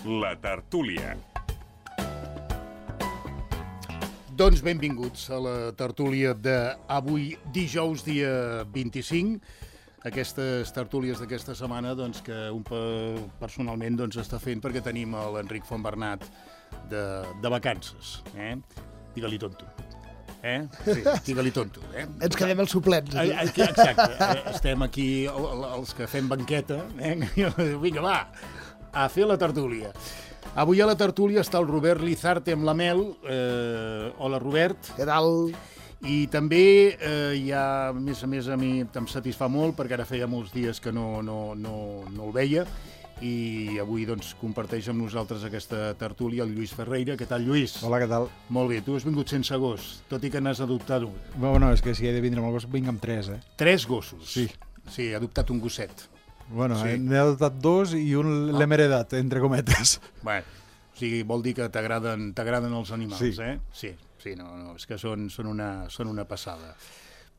La tertúlia. Doncs benvinguts a la tertúlia d'avui, dijous, dia 25. Aquestes tertúlies d'aquesta setmana doncs, que un personalment doncs, està fent perquè tenim l'Enric Fontbernat de vacances. Digue-li tonto. Sí, digue-li tonto. Ens quedem els suplents. Exacte. Estem aquí, els que fem banqueta. Vinga, va, a fer la tertúlia. Avui a la tertúlia està el Robert Lizarte amb la Mel. Hola, Robert. Què tal? I també hi ha, a més, a mi em satisfà molt, perquè ara feia molts dies que no el veia, i avui doncs, comparteix amb nosaltres aquesta tertúlia el Lluís Ferreira. Què tal, Lluís? Hola, què tal? Molt bé, tu has vingut sense gos, tot i que n'has adoptat un. Bueno, és que si he de vindre amb el gos, vinc amb 3, eh? 3 gossos? Sí. Sí, he adoptat un gosset. Bueno, sí. N'he adoptat 2 i un l'hem heredat, entre cometes. Bueno, o sigui, vol dir que t'agraden els animals, sí. Sí, no, és que són una passada.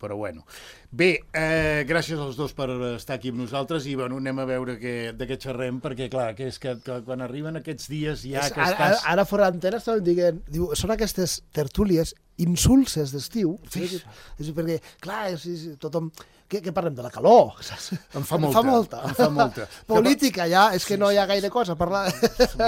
Però bueno. Bé, gràcies als dos per estar aquí amb nosaltres i bueno, anem a veure de què xerrem, perquè clar, que és que quan arriben aquests dies ja que estàs... Ara fora d'antena estàvem dient, són aquestes tertúlies insulses d'estiu, és perquè, clar, tothom... Què parlem? De la calor? Em fa molta. Política, ja, és que no hi ha gaire cosa a parlar.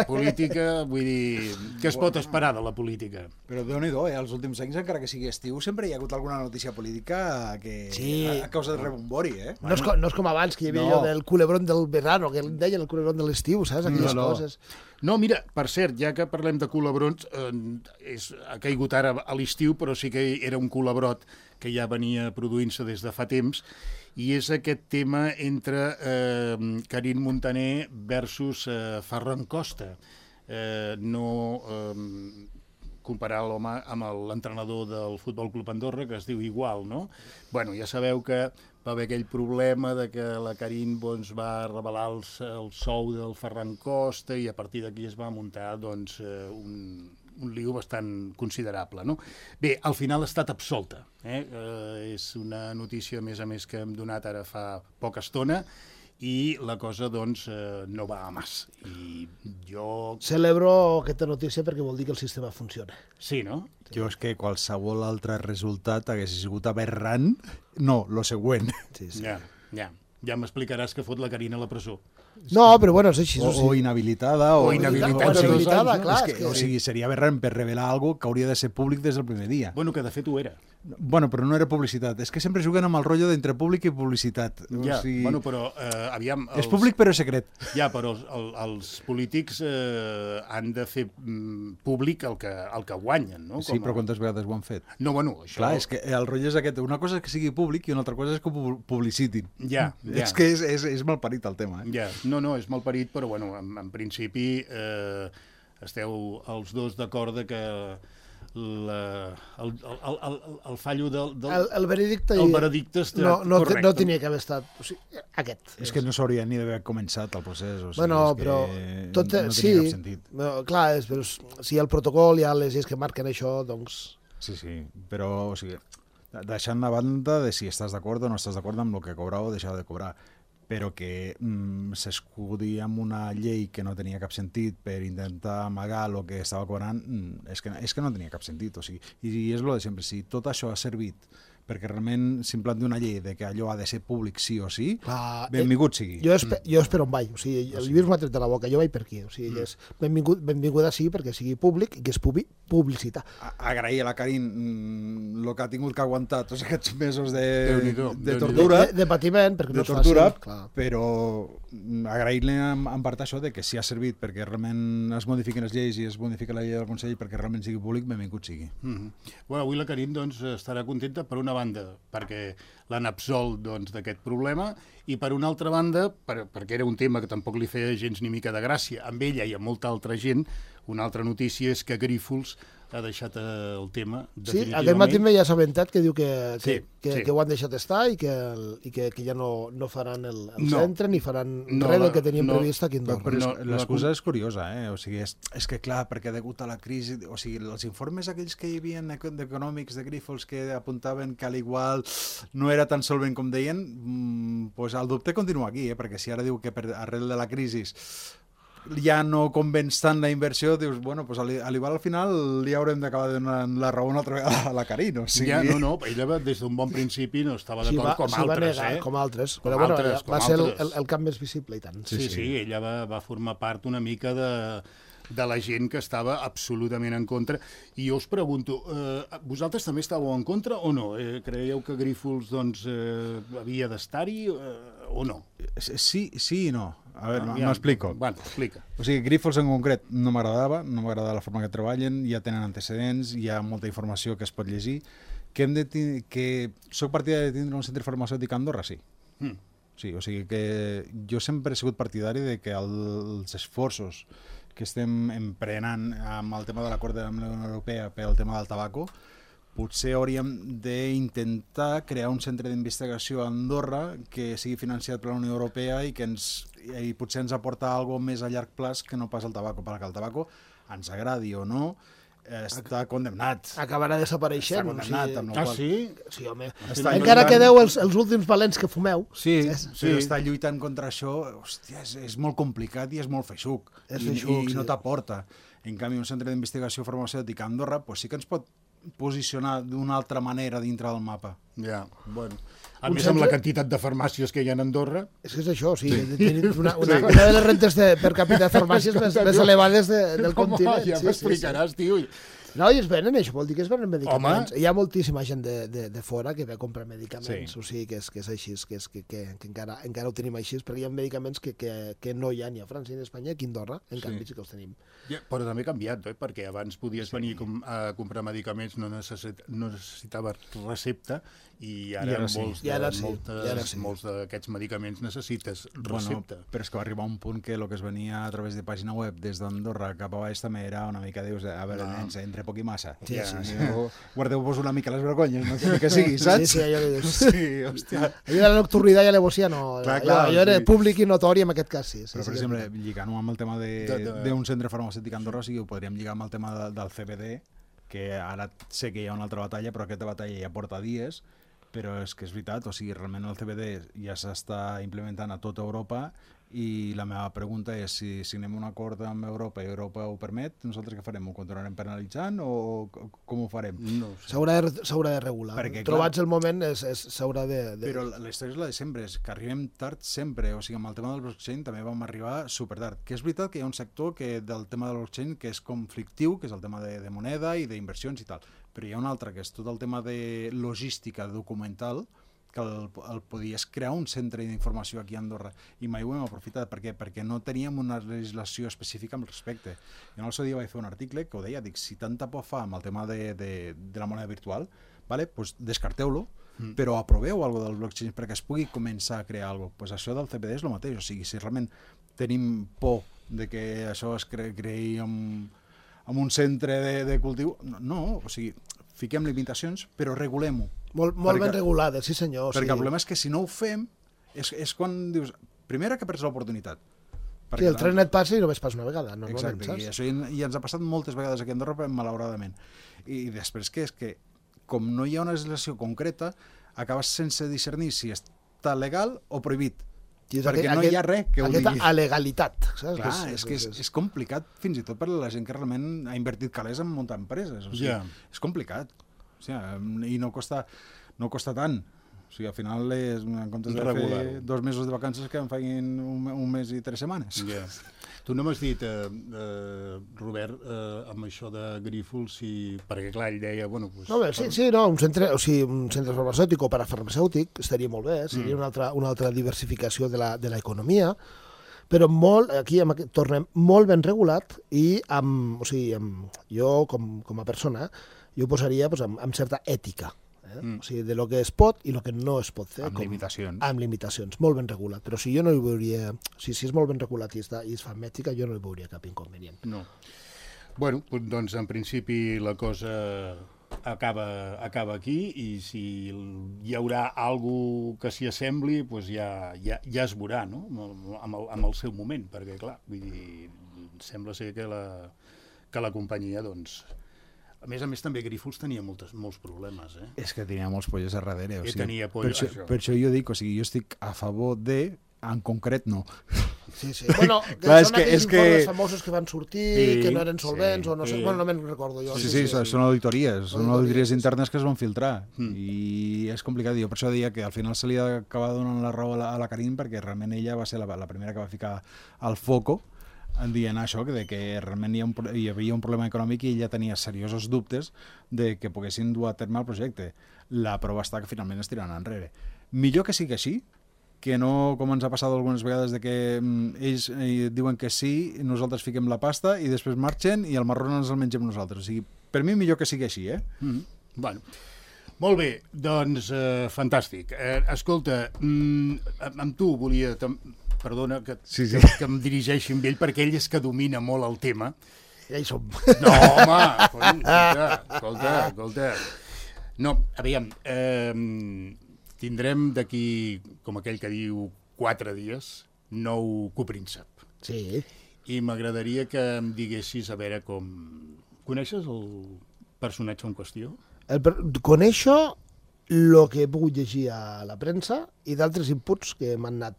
Política, vull dir, què es pot esperar de la política? Però Déu-n'hi-do, els últims anys, encara que sigui estiu, sempre hi ha hagut alguna notícia política que a causa del rebombori, eh? No és com abans, que hi havia allò del culebrón del verano, que en deien el culebrón de l'estiu, saps? Aquelles coses. No, mira, per cert, ja que parlem de culebrons, ha caigut ara a l'estiu, però sí que era un culebrot que ja venia produint-se des de fa temps, i és aquest tema entre Carine Montaner versus Ferran Costa. No comparar l'home amb l'entrenador del Futbol Club Andorra, que es diu igual, no? Bueno, ja sabeu que va haver aquell problema de que la Carine va revelar el sou del Ferran Costa i a partir d'aquí es va muntar doncs, un lío bastant considerable, no? Bé, al final ha estat absolta. És una notícia, a més, que hem donat ara fa poca estona i la cosa, doncs, no va a mas. I jo... Celebro aquesta notícia perquè vol dir que el sistema funciona. Sí, no? Jo és que qualsevol altre resultat hagués sigut aberrant. No, lo següent. Sí. Ja m'explicaràs que fot la Carina a la presó. No, però bueno, és així. O inhabilitada. O inhabilitada, clar. O sigui, seria aberrant per revelar alguna que hauria de ser públic des del primer dia. Bueno, que de fet ho era. Bueno, però no era publicitat. És que sempre juguen amb el rotllo d'entre públic i publicitat. Ja, bueno, però aviam... És públic però secret. Ja, però els polítics han de fer públic el que guanyen, no? Sí, però quantes vegades ho han fet? No, bueno, això... Clar, és que el rotllo és aquest. Una cosa és que sigui públic i una altra cosa és que ho publicitin. Ja. És que és malparit el tema, Ja, no, és malparit, però bueno, en principi esteu els dos d'acord que el fallo el veredicte està correcte. No tenia que haver estat... O sigui, aquest. És que no s'hauria ni d'haver començat el procés. O sigui, bueno, però... no tenia cap sentit. Clar, però si el protocol hi ha les lleis que marquen això, doncs... Sí, però, o sigui, deixant a banda de si estàs d'acord o no estàs d'acord amb el que cobrava o deixava de cobrar, però que s'escudi amb una llei que no tenia cap sentit per intentar amagar el que estava cobrant, és que no tenia cap sentit. O sigui, i és el de sempre, si tot això ha servit perquè realment s'implanti una llei de que allò ha de ser públic sí o sí, benvingut sigui. Jo espero on vaig, o sigui, el Lluís m'ha tret de la boca, jo vaig per aquí, o sigui, és benvinguda sí perquè sigui públic i que es pugui publicitar. Agrair a la Carine el que ha tingut que aguantar tots aquests mesos de tortura, de patiment, perquè no és tortura, fàcil, clar. Però agrair-li en part això de que si ha servit perquè realment es modifiquen les lleis i es modifica la llei del Consell perquè realment sigui públic, benvingut sigui. Bueno, avui la Carine doncs, estarà contenta per una banda perquè l'han absolt d'aquest problema i per una altra banda, perquè era un tema que tampoc li feia gens ni mica de gràcia amb ella i amb molta altra gent, una altra notícia és que Grífols ha deixat el tema definitivament. Sí, aquest matí m'he assabentat que diu que ho han deixat estar i que ja no faran el centre ni faran res del que teníem previst aquí a Andorra. Però l'excusa és curiosa, o sigui, és que clar, perquè degut a la crisi, o sigui, els informes aquells que hi havia econòmics de Grífols que apuntaven que a l'igual no era tan solvent com deien, doncs el dubte continua aquí, perquè si ara diu que arrel de la crisi ja no convenç tant la inversió, dius, bueno, pues al final li haurem d'acabar donant la raó una altra vegada a la Karin, o sigui... Ja, no, ella des d'un bon principi no estava d'acord com altres, com altres, però bueno, va ser el camp més visible i tant. Sí, ella va formar part una mica de la gent que estava absolutament en contra. I jo us pregunto, vosaltres també estàveu en contra o no? Creieu que Grífols doncs, havia d'estar-hi o no? Sí i no. A veure, m'explico. Bueno, explica. O sigui, Grífols en concret no m'agradava la forma que treballen, ja tenen antecedents, hi ha molta informació que es pot llegir. Que soc partidari de tindre un centre farmacèutic a Andorra, sí. Sí, o sigui que jo sempre he sigut partidari de que els esforços que estem emprenant amb el tema de l'acord amb la Unió Europea pel tema del tabaco, potser hauríem d'intentar crear un centre d'investigació a Andorra que sigui financiat per la Unió Europea i que potser ens aporta alguna cosa més a llarg plaç que no pas el tabaco, perquè el tabaco, ens agradi o no, està condemnat. Acabarà desapareixent. Està condemnat. Sí? Sí, home. Encara quedeu els últims valents que fumeu. Sí, però està lluitant contra això, hòstia, és molt complicat i és molt feixuc. I no t'aporta. En canvi, un centre d'investigació farmacèutica a Andorra sí que ens pot posicionar d'una altra manera dintre del mapa. Ja, bueno. A més, amb la quantitat de farmàcies que hi ha a Andorra... És que és això, o sigui, tenim una de les rentes per capita de farmàcies més elevades del continent. Home, ja m'explicaràs, tio. No, i es venen, això vol dir que es venen medicaments. Home. Hi ha moltíssima gent de fora que ve a comprar medicaments, o sigui, que és així, que encara ho tenim així, perquè hi ha medicaments que no hi ha ni a França ni a Espanya, aquí a Andorra, en canvi sí que els tenim. Ja, però també ha canviat, perquè abans podies venir a comprar medicaments, no necessitaves recepta, i ara molts d'aquests medicaments necessites recepta. Però és que va arribar un punt que el que es venia a través de pàgina web des d'Andorra cap a baix també era una mica, dius, a veure, nens, entre poc i massa. Sí. Guardeu-vos una mica les vergonyes, no sé que sigui, saps? Sí, allò que dius. Sí, hòstia. Allò de la nocturnitat i l'alevosía no. Allò era públic i notori en aquest cas, sí. Però, per exemple, lligant-ho amb el tema d'un centre farmacèutic a Andorra, o sigui, ho podríem lligar amb el tema del CBD, que ara sé que hi ha una altra batalla, però aquesta batalla ja porta dies, però és que és veritat, o sigui, realment el CBD ja s'està implementant a tota Europa i la meva pregunta és si signem un acord amb Europa i Europa ho permet, nosaltres què farem? Ho continuarem penalitzant o com ho farem? No sé. S'haurà de regular. Perquè, trobats el moment s'haurà de... Però la història és la de sempre, és que arribem tard sempre, o sigui, amb el tema del blockchain també vam arribar supertard, que és veritat que hi ha un sector del tema del blockchain que és conflictiu, que és el tema de moneda i d'inversions i tal, però hi ha un altre que és tot el tema de logística documental, que el podies crear un centre d'informació aquí a Andorra i mai ho hem aprofitat. Per què? Perquè no teníem una legislació específica al respecte. Jo en el seu dia vaig fer un article que ho deia, dic, si tanta por fa amb el tema de la moneda virtual, vale? Pues descarteu-lo, però aproveu alguna del blockchain perquè es pugui començar a crear alguna cosa. Pues això del CBD és el mateix, o sigui, si realment tenim por de que això es creï amb un centre de cultiu, no, o sigui, fiquem limitacions, però regulem-ho. Molt ben regulades, sí senyor. Perquè el problema és que si no ho fem, és quan dius, primera que perds l'oportunitat. Sí, el tren et passa i només passa una vegada, normalment, exacte, i això ja ens ha passat moltes vegades aquí a Andorra, malauradament. I després que és que, com no hi ha una legislació concreta, acabes sense discernir si està legal o prohibit. Perquè no hi ha res que ho digui. Aquesta alegalitat. Saps? Clar, és que és complicat fins i tot per la gent que realment ha invertit calés en muntar empreses. O sigui, és complicat. O sigui, i no costa tant. O sigui, al final, en comptes de fer 2 mesos de vacances, que em facin un mes i 3 setmanes. Tu no m'has dit, Robert, amb això de Grífols, perquè clar, ell deia... Bueno, pues, un centre farmacèutic o parafarmacèutic estaria molt bé, seria una altra diversificació de l'economia, però aquí tornem molt ben regulat i jo, com a persona, jo ho posaria amb certa ètica. O sigui, de lo que es pot i lo que no es pot fer. Amb limitacions. Amb limitacions, molt ben regulat. Però si jo no hi veuria... Si és molt ben regulat i es fa amb ètica, jo no hi veuria cap inconvenient. No. Bueno, doncs en principi la cosa acaba aquí i si hi haurà alguna que s'hi assembli, doncs ja es veurà, no? Amb el seu moment, perquè clar, vull dir, sembla ser que la companyia, doncs... A més, també Grífols tenia molts problemes, eh? És que tenia molts pollos a darrere. Tenia pollos, per això jo dic, o sigui, jo estic a favor de... En concret, no. Sí. Bueno, Clar, són aquells informes famosos que van sortir, que no eren solvents, o no sé, bueno, no me'n recordo jo. Sí, són auditories internes que es van filtrar, i és complicat. Jo per això deia que al final se li ha acabat donant la raó a la Karin, perquè realment ella va ser la primera que va ficar al foco en dient això, que realment hi havia un problema econòmic i ella tenia seriosos dubtes de que poguessin dur a terme el projecte. La prova està que finalment es tiraran enrere. Millor que sigui així, que no, com ens ha passat algunes vegades, de que ells diuen que sí, nosaltres fiquem la pasta i després marxen i el marrón ens el mengem nosaltres. O sigui, per mi millor que sigui així, Bueno, molt bé, doncs fantàstic. Escolta, amb tu volia... Perdona que em dirigeixi amb ell, perquè ell és que domina molt el tema. Ja hi som. No, home, escolta. No, aviam, tindrem d'aquí, com aquell que diu, 4 dies, nou copríncep. Sí. I m'agradaria que em diguessis, a veure com... Coneixes el personatge en qüestió? Coneixo el que he pogut llegir a la premsa i d'altres inputs que m'han anat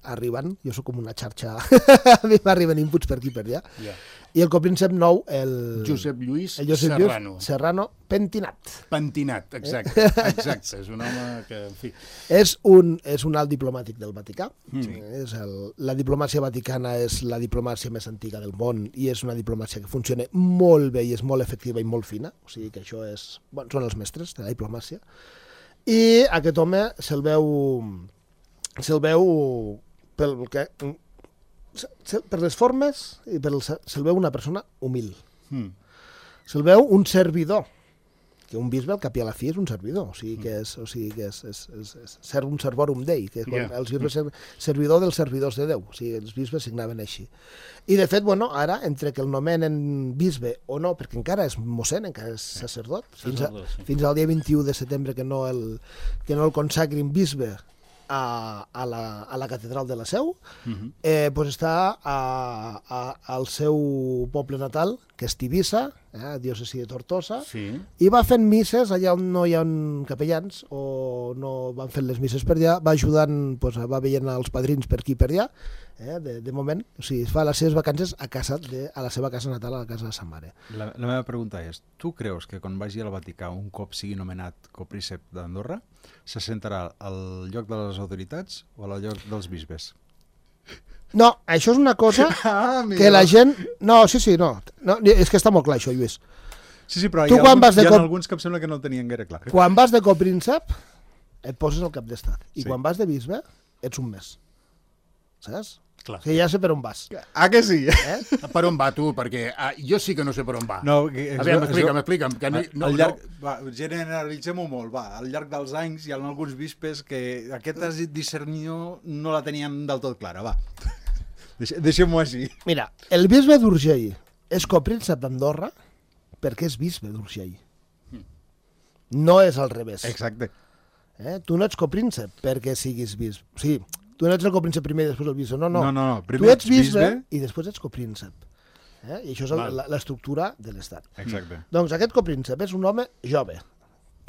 arribant. Jo sóc com una xarxa, a mi m'arriben inputs per aquí per allà. Yeah. I el copríncep nou, el Josep Lluís Serrano. Serrano, pentinat. Pentinat, exacte. És un home que, en fi... És un alt diplomàtic del Vaticà. La diplomàcia vaticana és la diplomàcia més antiga del món i és una diplomàcia que funciona molt bé i és molt efectiva i molt fina. O sigui que això és... Bueno, són els mestres de la diplomàcia. I aquest home se'l veu per les formes i se'l veu una persona humil. Se'l veu un servidor, que un bisbe al cap i a la fi és un servidor, o sigui que és ser un servorum Dei, que és quan els bisbes servidor dels servidors de Déu, o sigui, els bisbes signaven així. I de fet, bueno, ara, entre que el nomenen bisbe o no, perquè encara és mossèn, encara és sacerdot, fins al dia 21 de setembre que no el consagrin bisbe a la catedral de la Seu, doncs està al seu poble natal, que és Tivissa, diòcesi de Tortosa, i va fent misses allà on no hi ha capellans o no van fent les misses per allà, va ajudant, va veient els padrins per aquí i per allà, de moment, o sigui, fa les seves vacances a la seva casa natal, a la casa de sa mare. La meva pregunta és, tu creus que quan vagi al Vaticà un cop sigui nomenat copríncep d'Andorra, se sentarà al lloc de les autoritats o al lloc dels bisbes? No, això és una cosa que la gent... No, no, és que està molt clar això, Lluís. Sí, però hi ha alguns que em sembla que no el tenien gaire clar. Quan vas de copríncep, et poses al cap d'estat. I quan vas de bisbe, ets un mes. Saps? Clar. Que ja sé per on vas. Ah, que sí? Per on va, tu? Perquè jo sí que no sé per on va. No, a veure, m'explica'm. Generalitzem-ho molt, va. Al llarg dels anys hi ha alguns bispes que aquesta discernió no la tenien del tot clara, va. Deixem-ho així. Mira, el bisbe d'Urgell és copríncep d'Andorra perquè és bisbe d'Urgell. No és al revés. Exacte. Tu no ets copríncep perquè siguis bisbe. O sigui, tu no ets el copríncep primer i després el bisbe. No. Primer tu ets bisbe i després ets copríncep. I això és l'estructura de l'Estat. Exacte. Doncs aquest copríncep és un home jove,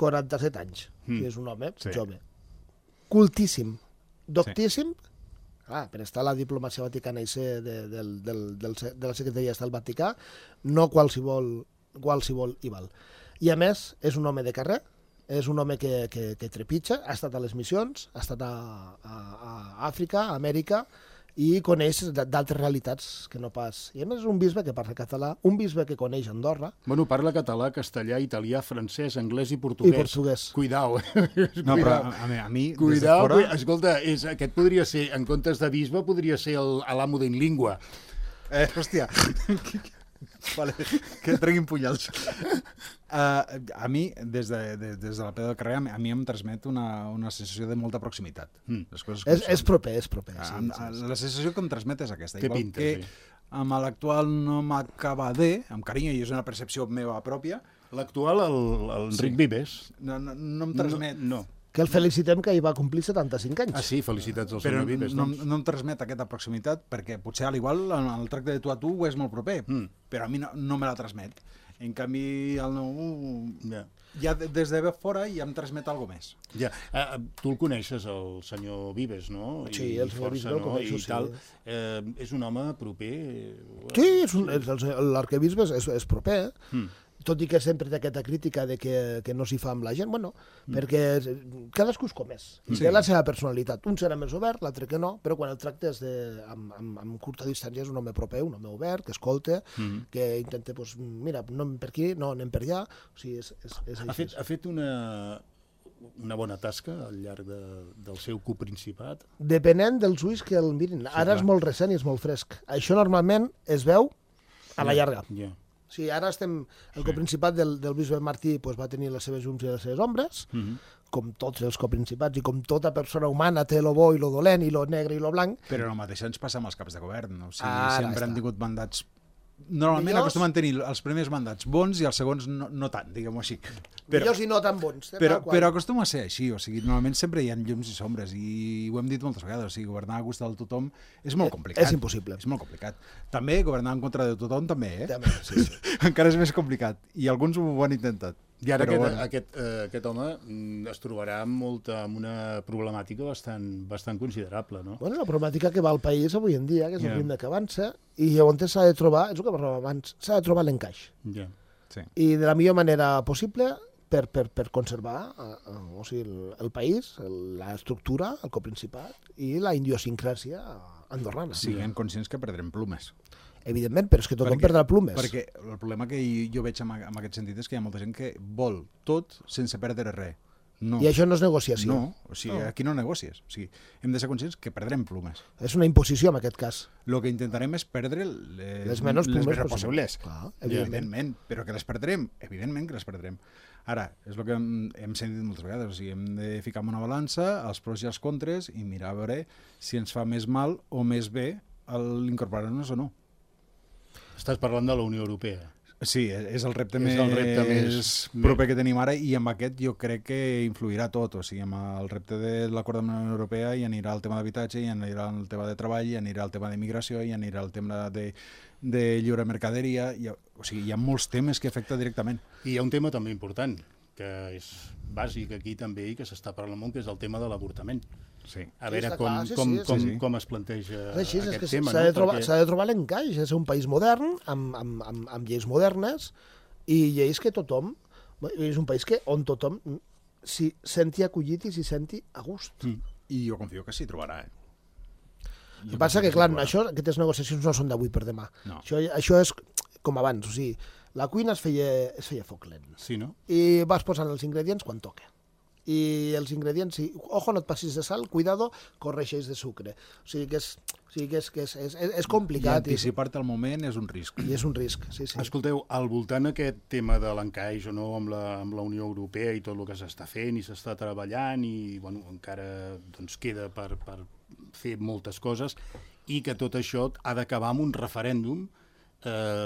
47 anys. És un home jove. Cultíssim, doctíssim, per estar a la diplomàcia vaticana i ser de la secretaria d'Estat del Vaticà, no qualsevol hi val. I a més, és un home de carrer, és un home que trepitja, ha estat a les missions, ha estat a Àfrica, a Amèrica, i coneix d'altres realitats que no pas... I a més és un bisbe que parla català, un bisbe que coneix Andorra. Bueno, parla català, castellà, italià, francès, anglès i portuguès. Cuidao. No, però a mi, cuidao, des de fora... Escolta, aquest podria ser, en comptes de bisbe, podria ser l'amo d'en língua. Hòstia, vale, que treguin punyals. A mi, des de la peu del carrer, a mi em transmet una sensació de molta proximitat. És proper. La sensació que em transmet és aquesta. Té Igual pinta, que amb l'actual no m'acaba amb carinyo, i és una percepció meva pròpia. L'actual, l'Enric Vives. No em transmet... No. Que el felicitem que hi va complir 75 anys. Ah, sí, felicitats al senyor Vives. Però no em transmet aquesta proximitat perquè potser a l'igual el tracte de tu a tu és molt proper, però a mi no me la transmet. En canvi, el nou... ja des de fora ja em transmet alguna més. Ja. Tu el coneixes, el senyor Vives, no? Sí, el senyor Vives el coneixo, sí. Tal. És un home proper? Sí, l'arquebisbe és proper, tot i que sempre té aquesta crítica de que no s'hi fa amb la gent, bueno, perquè cadascú és com és, té la seva personalitat. Un serà més obert, l'altre que no, però quan el tractes amb curta distància és un home proper, un home obert, que escolta, que intenta, doncs, mira, no anem per aquí, no anem per allà, o sigui, és així. Ha fet una bona tasca al llarg del seu coprincipat? Depenent dels ulls que el mirin. Ara és molt recent i és molt fresc. Això normalment es veu a la llarga. Sí, ara estem... El coprincipat del bisbe Martí va tenir les seves llums i les seves ombres, com tots els coprincipats i com tota persona humana té lo bo i lo dolent i lo negre i lo blanc. Però el mateix ens passa amb els caps de govern. O sigui, sempre han tingut mandats... Normalment acostumen a tenir els primers mandats bons i els segons no tant, diguem-ho així. Millors i no tan bons. Però acostuma a ser així, o sigui, normalment sempre hi ha llums i sombres i ho hem dit moltes vegades, o sigui, governar a gust de tothom és molt complicat. És impossible. És molt complicat. També governar en contra de tothom també, També, sí. Encara és més complicat i alguns ho han intentat. I ara aquest home es trobarà amb una problemàtica bastant considerable, no? Bueno, la problemàtica que va al país avui en dia, que és el ritme que avança, i llavors s'ha de trobar, és el que parlàvem abans, s'ha de trobar l'encaix. Sí. I de la millor manera possible per conservar o sigui, el país, l'estructura, el coprincipat i la idiosincràsia andorrana. Siguem conscients que perdrem plumes. Evidentment, però és que tothom perdrà plumes. Perquè el problema que jo veig en aquest sentit és que hi ha molta gent que vol tot sense perdre res. No. I això no és negociació. No, o sigui, aquí no negocies. O sigui, hem de ser conscients que perdrem plumes. És una imposició en aquest cas. El que intentarem és perdre les menys plumes possibles. Clar, evidentment. Però que les perdrem, evidentment que les perdrem. Ara, és el que hem sentit moltes vegades, o sigui, hem de ficar en una balança els pros i els contres i mirar a veure si ens fa més mal o més bé l'incorporar-nos o no. Estàs parlant de la Unió Europea. Sí, és el repte més proper que tenim ara i amb aquest jo crec que influirà tot. O sigui, amb el repte de l'acord de la Unió Europea hi anirà el tema d'habitatge, hi anirà el tema de treball, hi anirà el tema d'immigració, hi anirà el tema de lliure mercaderia. O sigui, hi ha molts temes que afecten directament. I hi ha un tema també important, que és bàsic aquí també i que s'està parlant molt, que és el tema de l'avortament. Sí. A veure com es planteja aquest tema. S'ha de trobar l'encaix, és un país modern, amb lleis modernes, i lleis que tothom... És un país on tothom s'hi senti acollit i s'hi senti a gust. I jo confio que s'hi trobarà, El que passa que, clar, aquestes negociacions no són d'avui per demà. No. Això és com abans, o sigui, la cuina es feia foc lent. Sí, no? I vas posant els ingredients quan toca. I els ingredients, ojo, no et passis de sal, cuidado, corregeix de sucre. O sigui que és complicat. I anticipar-te al moment és un risc. I és un risc, sí. Escolteu, al voltant d'aquest tema de l'encaix o no amb la Unió Europea i tot el que s'està fent i s'està treballant i bueno, encara queda per fer moltes coses i que tot això ha d'acabar amb un referèndum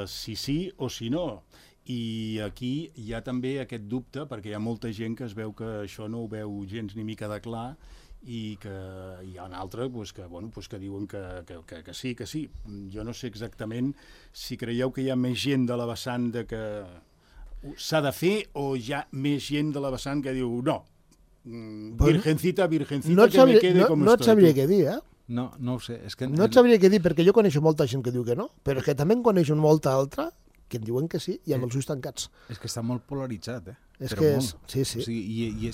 si sí o si no. I aquí hi ha també aquest dubte, perquè hi ha molta gent que es veu que això no ho veu gens ni mica de clar i que hi ha un altre que diuen que sí. Jo no sé exactament si creieu que hi ha més gent de la vessant de que s'ha de fer o hi ha més gent de la vessant que diu no, virgencita, no que me quede com estoy. No et sabria què dir, No ho sé. No et sabria què dir, perquè jo coneixo molta gent que diu que no, però que també en coneixo molta altra que em diuen que sí, i amb els ulls tancats. És que està molt polaritzat, És que és... Sí. O sigui,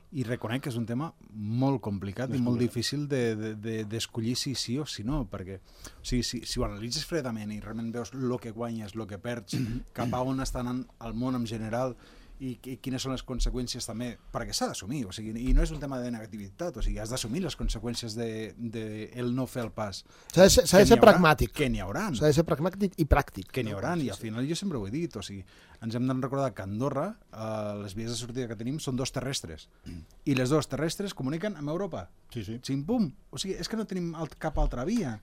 i reconec que és un tema molt complicat i molt difícil d'escollir si sí o si no, perquè o sigui, si ho analitzes fredament i realment veus el que guanyes, el que perds, cap a on està anant el món en general i quines són les conseqüències també, perquè s'ha d'assumir, o sigui, i no és un tema de negativitat, o sigui, has d'assumir les conseqüències el no fer el pas. S'ha de ser pragmàtic. Que n'hi haurà. S'ha de ser pragmàtic i pràctic. Que n'hi haurà, i al final jo sempre ho he dit, o sigui, ens hem de recordar que a Andorra les vies de sortida que tenim són 2 terrestres, i les 2 terrestres comuniquen amb Europa. Sí. Xim-pum. O sigui, és que no tenim cap altra via,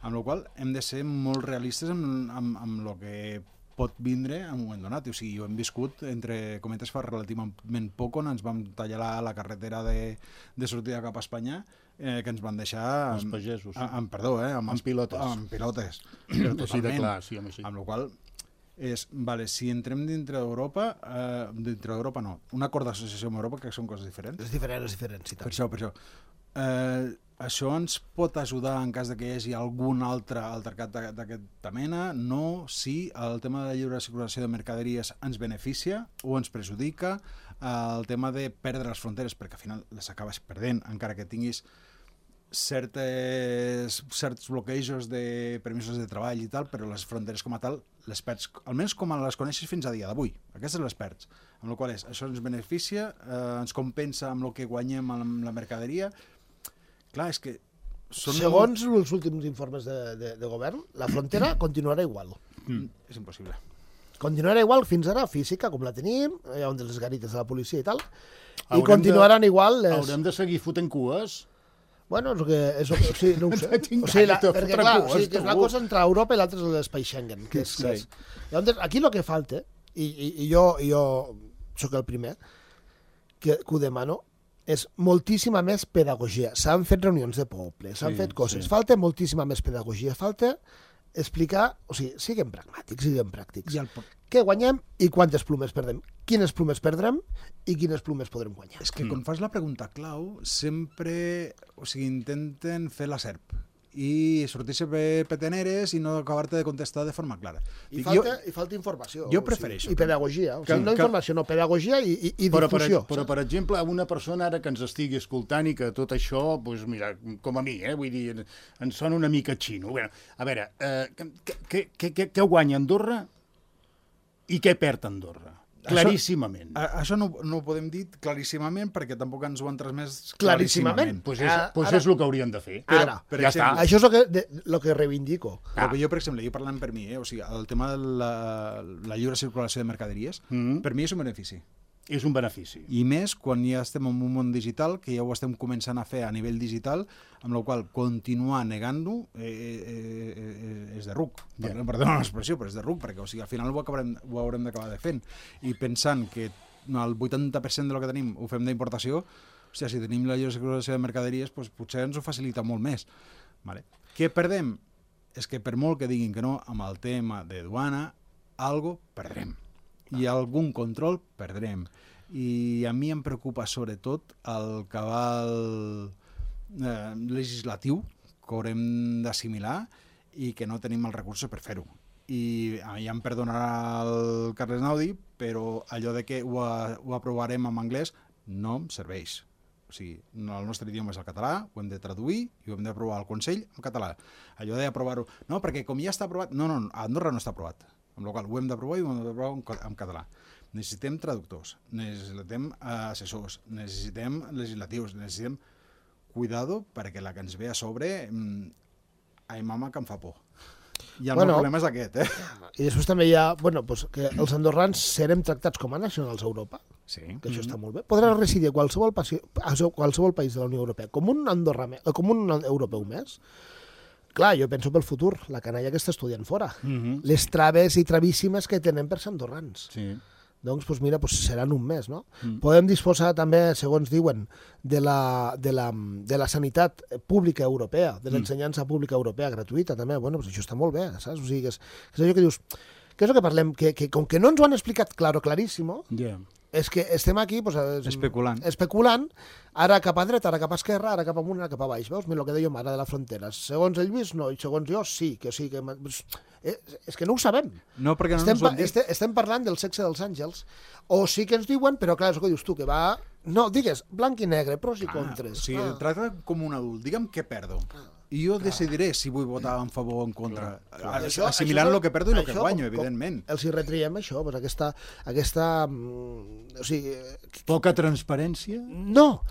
amb la qual hem de ser molt realistes amb el que pot vindre en un moment donat. O sigui, ho hem viscut, entre cometes, fa relativament poc, on ens vam tallar la carretera de sortida cap a Espanya, que ens van deixar... Els pagesos. Perdó, amb pilotes. Amb pilotes. Però totalment. Sí, de clar, sí, amb la qual és, vale, si entrem dintre d'Europa no, un acord d'associació amb Europa, que són coses diferents. És diferent, sí, Per això. Això ens pot ajudar en cas de que hi hagi algun altre altercat d'aquesta mena? No, sí, el tema de la lliure circulació de mercaderies ens beneficia o ens perjudica? El tema de perdre les fronteres, perquè al final les acabes perdent, encara que tinguis certs bloquejos de permisos de treball i tal, però les fronteres com a tal les perds, almenys com les coneixes fins a dia d'avui. Aquestes les perds. Amb la qual cosa això ens beneficia, ens compensa amb el que guanyem amb la mercaderia. Clar, és que... Segons els últims informes de govern, la frontera continuarà igual. És impossible. Continuarà igual fins ara, física, com la tenim, hi ha les garites de la policia i tal, i continuaran igual... Haurem de seguir fotent cues? Bueno, sí, no ho sé. Perquè clar, que és una cosa entre Europa i l'altra és l'espai Schengen. Llavors, aquí el que falta, i jo sóc el primer que ho demano, és moltíssima més pedagogia. S'han fet reunions de poble, s'han fet coses. Falta moltíssima més pedagogia. Falta explicar, o sigui, siguem pragmàtics, siguem pràctics. Què guanyem i quantes plomes perdem? Quines plomes perdrem i quines plomes podrem guanyar? És que quan fas la pregunta clau, sempre intenten fer la serp i sortir-se peteneres i no acabar-te de contestar de forma clara. I falta informació. Jo prefereixo. I pedagogia. No informació, no, pedagogia i difusió. Però, per exemple, una persona ara que ens estigui escoltant i que tot això, doncs mira, com a mi, vull dir, ens sona una mica xino. A veure, què guanya Andorra i què perd Andorra? Claríssimament. Això no ho podem dir claríssimament perquè tampoc ens ho han transmès claríssimament. Doncs és el que haurien de fer. Ara, ja està. Això és el que reivindico. Jo, per exemple, parlant per mi, o sigui, el tema de la lliure circulació de mercaderies, per mi és un benefici. És un benefici. I més quan ja estem en un món digital, que ja ho estem començant a fer a nivell digital, amb la qual continuar negant-ho és de ruc. Perdona l'expressió, però és de ruc, perquè al final ho haurem d'acabar de fent. I pensant que el 80% del que tenim ho fem d'importació, si tenim la lliure circulació de mercaderies, potser ens ho facilita molt més. Què perdem? És que per molt que diguin que no, amb el tema de duana, algo perdrem. I algun control perdrem. I a mi em preocupa sobretot el cabal legislatiu que haurem d'assimilar i que no tenim els recursos per fer-ho. I ja em perdonarà el Carles Naudi, però allò de que ho aprovarem en anglès no em serveix. O sigui, el nostre idioma és el català, ho hem de traduir i ho hem d'aprovar al Consell en català. Allò d'aprovar-ho... No, perquè com ja està aprovat... No, a Andorra no està aprovat. Amb la qual ho hem d'aprovar i ho hem d'aprovar en català. Necessitem traductors, necessitem assessors, necessitem legislatius, necessitem cuidado perquè la que ens ve a sobre ai mama que em fa por. I el meu problema és aquest, I després també hi ha, que els andorrans serem tractats com a nacionals a Europa, que això està molt bé. Podrà residir a qualsevol país de la Unió Europea com un europeu més. Clar, jo penso pel futur, la canalla que està estudiant fora, les traves i travíssimes que tenen per ser andorrans. Doncs, mira, seran un mes, no? Podem disposar també, segons diuen, de la sanitat pública europea, de l'ensenyança pública europea gratuïta, també. Això està molt bé, saps? O sigui, que és allò que dius... Què és el que parlem? Que com que no ens ho han explicat claríssimo, és que estem aquí especulant, ara cap a dreta, ara cap a esquerra, ara cap amunt, ara cap a baix. Veus? Mira el que dèiem ara de la frontera. Segons el Lluís, no, i segons jo, sí. És que no ho sabem. No, perquè no ens ho han dit. Estem parlant del sexe dels àngels, o sí que ens diuen, però clar, és el que dius tu, que va... No, digues, blanc i negre, pros i contres. O sigui, tracta com un adult. Digue'm què perdo. I jo decidiré si vull votar en favor o en contra. Assimilant el que perdo i el que guanyo, evidentment. Els hi retriem això, aquesta o sigui... Poca transparència? No,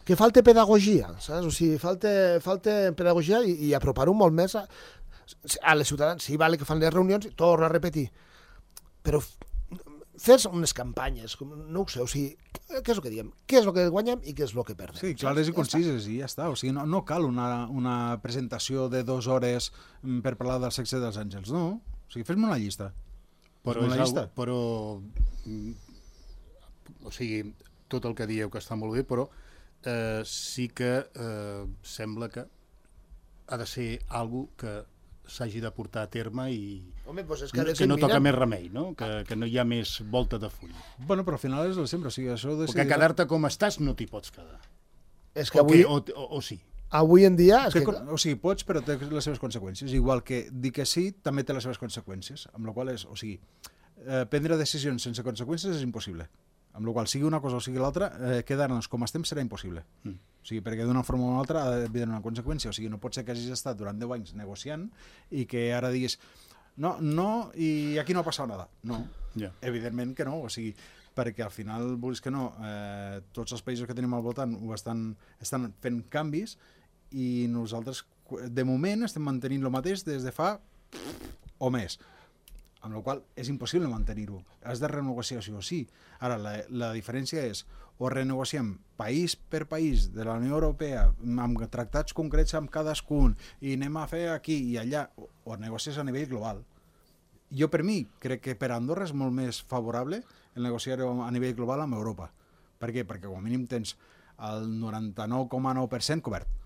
que falta pedagogia, saps? O sigui, falta pedagogia i apropar-ho molt més a les ciutadans. Sí, vale que fan les reunions, torno a repetir, però fes unes campanyes, no ho sé, o sigui, què és el que diem? Què és el que guanyem i què és el que perdem? Sí, clares i concises, i ja està. O sigui, no cal una presentació de 2 hores per parlar del sexe dels àngels, no. O sigui, fes-me una llista. Però o sigui, tot el que dieu que està molt bé, però sí que sembla que ha de ser algo que s'hagi de portar a terme i Home, doncs és que no toca més remei, no? Que no hi ha més volta de full. Bueno, però al final és el sempre, o sigui, això de... Perquè quedar-te com estàs no t'hi pots quedar. És que avui... O sí. Avui en dia... O sigui, pots, però té les seves conseqüències. Igual que dir que sí també té les seves conseqüències. Amb la qual és, o sigui, prendre decisions sense conseqüències és impossible. Amb la qual sigui una cosa o sigui l'altra, quedar-nos com estem serà impossible. O sigui, perquè d'una forma o una altra ha d'haver una conseqüència. O sigui, no pot ser que hagis estat durant 10 anys negociant i que ara diguis no, i aquí no ha passat nada. No, evidentment que no. O sigui, perquè al final, vulguis que no, tots els països que tenim al voltant estan fent canvis i nosaltres, de moment, estem mantenint el mateix des de fa o més. Amb la qual és impossible mantenir-ho. Has de renegociar sí o sí. Ara, la diferència és o renegociem país per país de la Unió Europea amb tractats concrets amb cadascun i anem a fer aquí i allà, o negocies a nivell global. Jo, per mi, crec que per Andorra és molt més favorable el negociar a nivell global amb Europa. Per què? Perquè com a mínim tens el 99,9% cobert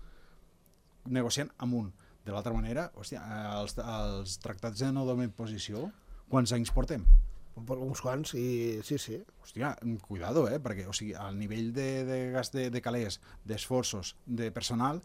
negociant amb un. De l'altra manera, hòstia, els tractats de no donar posició, quants anys portem? Uns quants, i sí. Hòstia, cuidado, perquè o sigui, el nivell de gas de calés, d'esforços, de personal,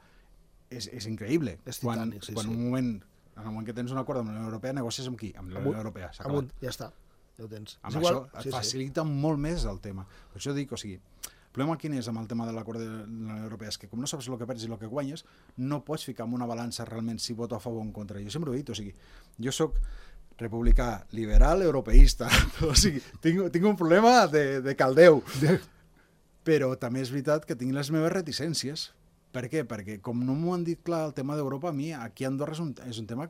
és increïble. És titànic, sí. Quan en el moment que tens un acord amb la Unió Europea, negocies amb qui? Amb la Unió Europea, s'ha acabat. Ja està, ja ho tens. Amb això et facilita molt més el tema. Per això dic, o sigui, el problema quin és amb el tema de l'acord de la Unió Europea és que com no saps el que perds i el que guanyes, no pots ficar en una balança realment si voto a favor o en contra. Jo sempre ho he dit, o sigui, jo sóc republicà, liberal, europeista, o sigui, tinc un problema de caldeu, però també és veritat que tinc les meves reticències. Per què? Perquè com no m'ho han dit clar el tema d'Europa, a mi aquí a Andorra és un tema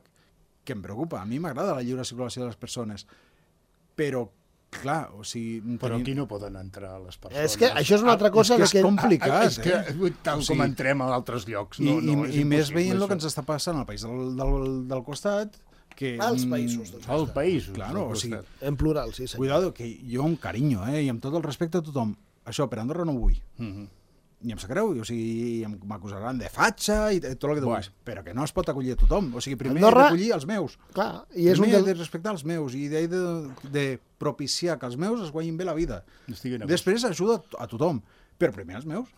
que em preocupa. A mi m'agrada la lliure circulació de les persones, però clar, o sigui... Però aquí no poden entrar les persones. És que això és una altra cosa... És que és complicat. És que tal com entrem a altres llocs. I més veient el que ens està passant al país del costat, que... Als països del costat. Als països del costat. En plural, sí, senyor. Cuidado, que jo amb carinyo, i amb tot el respecte a tothom, això per Andorra no ho vull. I em sap greu, o sigui, m'acusaran de fatxa i tot el que tu vulguis, però que no es pot acollir a tothom. O sigui, primer he d'acollir els meus. Clar, i és primer he de respectar els meus i he de propiciar que els meus es guanyin bé la vida. Després ajuda a tothom, però primer els meus.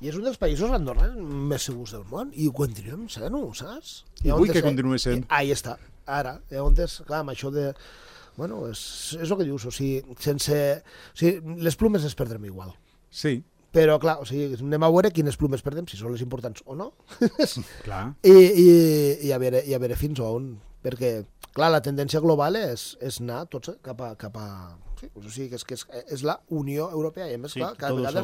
I és un dels països, Andorra, més segurs del món, i ho continuem sent, saps? I vull que continuï sent. Ahí està, ara. On és, clar, amb això de... Bueno, és el que dius, o sigui, sense... O sigui, les plumes les perdrem igual. Sí. Però, clar, o sigui, anem a veure quines plumes perdem, si són les importants o no. Clar. I a veure fins on. Perquè, clar, la tendència global és anar tots cap a... Sí, o sigui, que és la Unió Europea, i a més, clar, cada vegada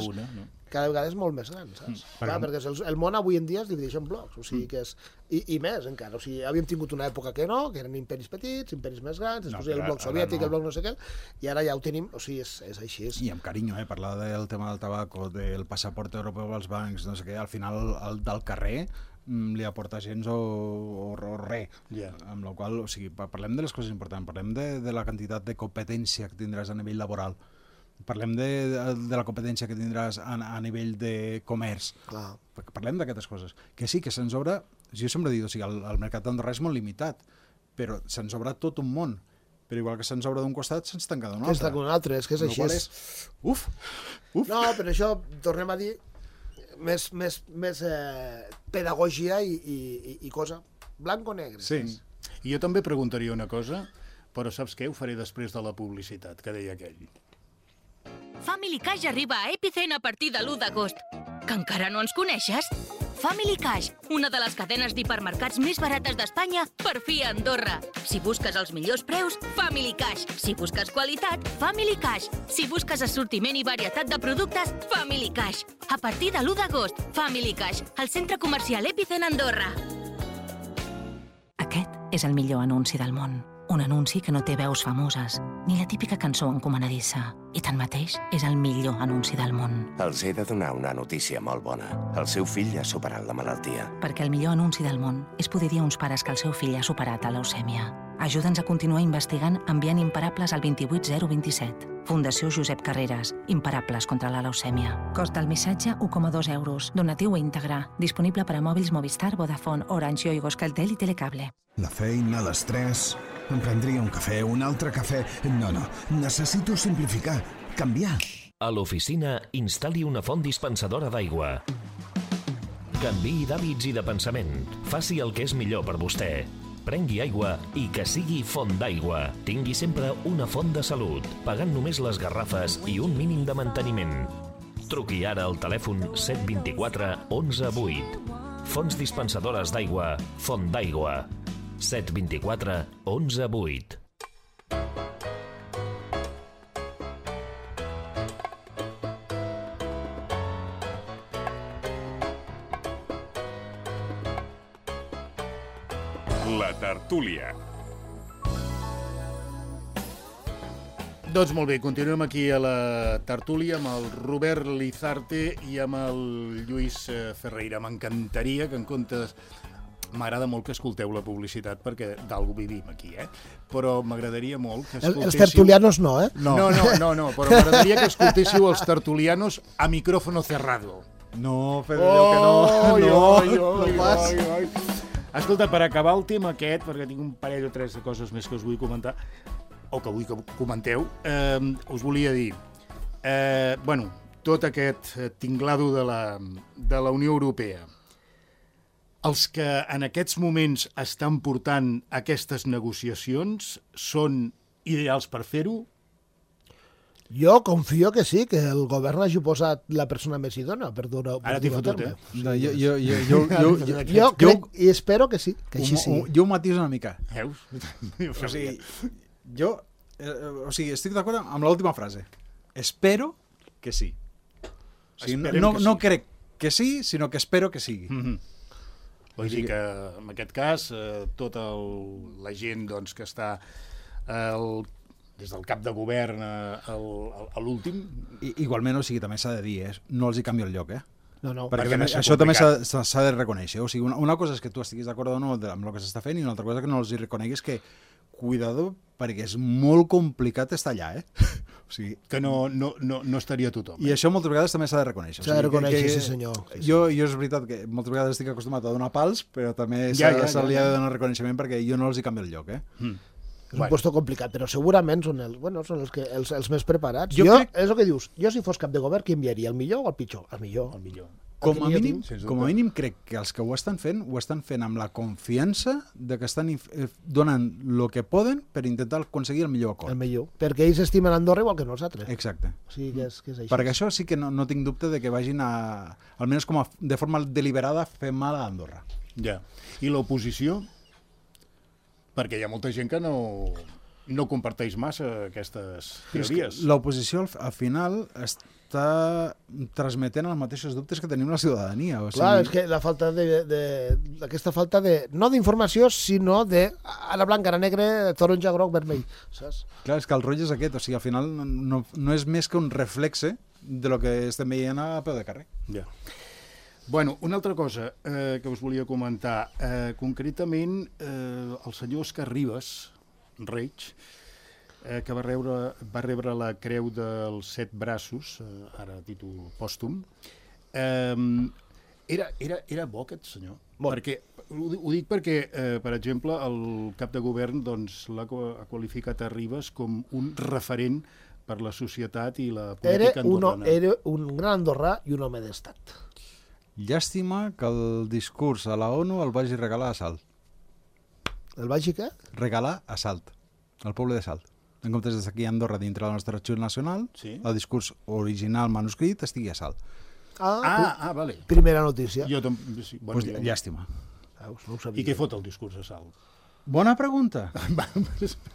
és molt més gran, saps? Clar, perquè el món avui en dia es divideix en blocs, o sigui, que és... I més, encara. O sigui, havíem tingut una època que no, que eren imperis petits, imperis més grans, després el bloc soviètic, el bloc no sé què, i ara ja ho tenim, o sigui, és així. I amb carinyo, parlar del tema del tabac o del passaport europeu als bancs, no sé què, al final el del carrer li aporta gens o res. Amb la qual, o sigui, parlem de les coses importants, parlem de la quantitat de competència que tindràs a nivell laboral, parlem de la competència que tindràs a nivell de comerç. Clar. Parlem d'aquestes coses. Que sí, que se'ns obre... Jo sempre he dit, o sigui, el mercat d'Andorra és molt limitat, però se'ns obre tot un món. Però igual que se'ns obre d'un costat, se'ns tanca d'un altre. Se'ns tanca d'un altre, és que és així. Uf! No, però això, tornem a dir, més pedagogia i cosa. Blanc o negre. Sí. I jo també preguntaria una cosa, però saps què? Ho faré després de la publicitat, que deia aquell. Family Cash arriba a Epicen a partir de l'1 d'agost. Que encara no ens coneixes? Family Cash, una de les cadenes d'hipermercats més barates d'Espanya, per fi a Andorra. Si busques els millors preus, Family Cash. Si busques qualitat, Family Cash. Si busques assortiment i varietat de productes, Family Cash. A partir de l'1 d'agost, Family Cash, al centre comercial Epicen Andorra. Aquest és el millor anunci del món. Un anunci que no té veus famoses, ni la típica cançó encomanadissa. I tanmateix és el millor anunci del món. Els he de donar una notícia molt bona. El seu fill ha superat la malaltia. Perquè el millor anunci del món és poder dir a uns pares que el seu fill ha superat la leucèmia. Ajuda'ns a continuar investigant enviant imparables al 28027. Fundació Josep Carreras. Imparables contra la leucèmia. Cost del missatge 1,2 euros. Donatiu íntegre. Disponible per a mòbils Movistar, Vodafone, Orange, Yoigo, Euskaltel i Telecable. La feina, l'estrès... Em prendria un cafè, un altre cafè... No, necessito simplificar, canviar. A l'oficina, instal·li una font dispensadora d'aigua. Canviï d'hàbits i de pensament. Faci el que és millor per vostè. Prengui aigua i que sigui font d'aigua. Tingui sempre una font de salut, pagant només les garrafes i un mínim de manteniment. Truqui ara al telèfon 724 11 8. Fonts dispensadores d'aigua, Font d'aigua. 724 11 8. La tertúlia. Doncs molt bé, continuem aquí a la tertúlia amb el Robert Lizarte i amb el Lluís Ferreira. M'encantaria que en comptes... M'agrada molt que escolteu la publicitat perquè d'algú vivim aquí, Però m'agradaria molt que escoltéssiu... Els tertulianos no, No, però m'agradaria que escoltéssiu els tertulianos a micrófono cerrado. No, Pedro, que no. Escolta, per acabar el tema aquest, perquè tinc un parell o tres de coses més que us vull comentar, o que vull que comenteu, us volia dir, tot aquest tinglado de la Unió Europea, els que en aquests moments estan portant aquestes negociacions són ideals per fer-ho? Jo confio que sí, que el govern hagi posat la persona més idònia per donar Ara t'hi fotut, Jo crec i espero que sí, que així sí. Jo ho matiso una mica. Veus? O sigui, jo estic d'acord amb l'última frase. Espero que sí. O sigui, no crec que sí, sinó que espero que sigui. Vull dir que, en aquest cas, tota la gent que està des del cap de govern a l'últim... Igualment, també s'ha de dir, no els hi canvio el lloc, No. Perquè això també s'ha de reconèixer. O sigui, una cosa és que tu estiguis d'acord o no amb el que s'està fent i una altra cosa que no els hi reconeguis que, cuidado, perquè és molt complicat estar allà, O sigui, que no estaria tothom. I això moltes vegades també s'ha de reconèixer. S'ha de reconèixer, sí senyor. Jo és veritat que moltes vegades estic acostumat a donar pals, però també se li ha de donar reconeixement perquè jo no els hi canvio el lloc, És un puesto complicat, però segurament són els més preparats. És el que dius, jo si fos cap de govern, qui enviaria? El millor o el pitjor? El millor. Com a mínim crec que els que ho estan fent amb la confiança de que estan donant el que poden per intentar aconseguir el millor acord. El millor, perquè ells estimen Andorra igual que nosaltres. Exacte. O sigui que és així. Perquè això sí que no tinc dubte de que vagin almenys de forma deliberada, a fer mal a Andorra. Ja. I l'oposició? Perquè hi ha molta gent que no comparteix massa aquestes teories. L'oposició al final està transmetent els mateixos dubtes que tenim la ciutadania. Clar, és que la falta aquesta falta no d'informació, sinó de ara blanc, ara negre, taronja, groc, vermell, saps? Clar, és que el rotllo és aquest, o sigui, al final no és més que un reflexe de lo que estem veient a peu de carrer. Ja. Bueno, una altra cosa que us volia comentar. Concretament, el senyor Òscar Ribas, Reig, que va rebre la Creu dels 7 Braços, ara a títol pòstum. Era bo aquest senyor? Ho dic perquè, per exemple, el cap de govern ha qualificat a Ribas com un referent per la societat i la política andorrana. Era un gran andorrà i un home d'estat. Llàstima que el discurs a la ONU el vagi regalar a Salt. El vagi què? Regalar a Salt, al poble de Salt. En comptes d'estar aquí a Andorra dintre del nostre arxiu nacional, el discurs original manuscrit estigui a Salt. Vale. Primera notícia. Llàstima. I què fot el discurs a Salt? Bona pregunta.